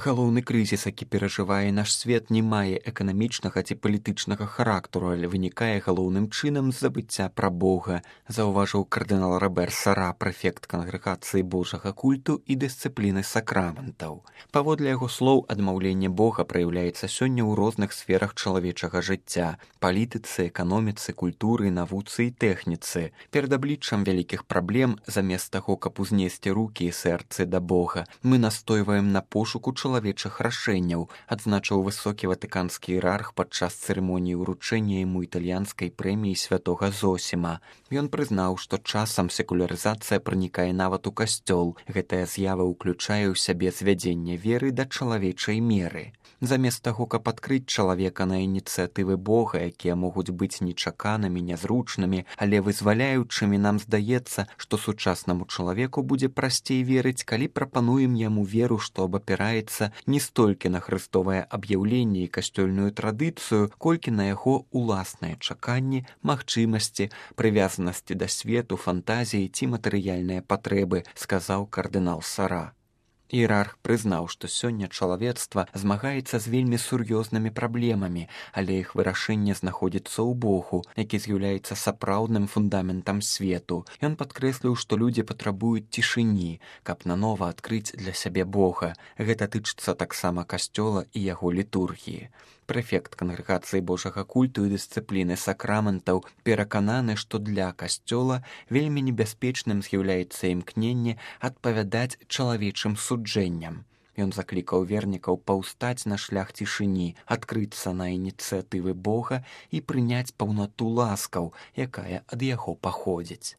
Галоўны крызіс, які перажывае наш свет, не мае эканамічнага ці палітычнага характару, але вынікае галоўным чынам з забыцця пра Бога, заўважыў кардынал Робер Сара, прэфект кангрэгацыі Божага культу і дысцыпліны сакраментаў. Паводле яго слоў, адмаўленне Бога праяўляецца сёння ў розных сферах чалавечага жыцця: палітыцы, эканоміцы, культуры, навуцы і тэхніцы. Перад абліччам вялікіх праблем, замест таго, каб узнесці рукі і сэрцы да Бога, мы настойваем на пошуку чалавечых рашэнняў, адзначыў высокі ватыканскі іерарх падчас цырымоніі ўручэння яму італьянскай прэміі святога Зосіма. Ён прызнаў, што часам секулярызацыя пранікае нават у касцёл. Гэтая з'ява ўключае ў сябе звядзенне веры да чалавечай меры. Замест таго, каб адкрыць чалавека на ініцыятывы Бога, якія могуць быць нечаканымі, нязручнымі, але вызваляючымі, нам здаецца, што сучаснаму чалавеку будзе прасцей верыць, калі прапануем яму веру, што абапіраецца не столькі на хрыстовае аб'яўленне і касцёльную традыцыю, колькі на яго уласныя чаканні, магчымасці, прывязанасці да свету, фантазіі ці матэрыяльныя патрэбы, сказаў кардынал Сара. Іерарх прызнаў, што сёння чалавецтва змагаецца з вельмі сур'ёзнымі праблемамі, але іх вырашэнне знаходзіцца ў Богу, які з'яўляецца сапраўдным фундаментам свету. Ён падкрэсліў, што людзі патрабуюць цішыні, каб нанова адкрыць для сябе Бога. Гэта тычыцца таксама касцёла і яго літургіі. Прэфект кангрэгацыі Божага культу і дысцыпліны сакраментаў перакананы, што для касцёла вельмі небяспечным з'яўляецца імкненне адпавядаць чалавечым суджэнням. Ён заклікаў вернікаў паўстаць на шлях цішыні, адкрыцца на ініцыятывы Бога і прыняць паўнату ласкаў, якая ад яго паходзіць.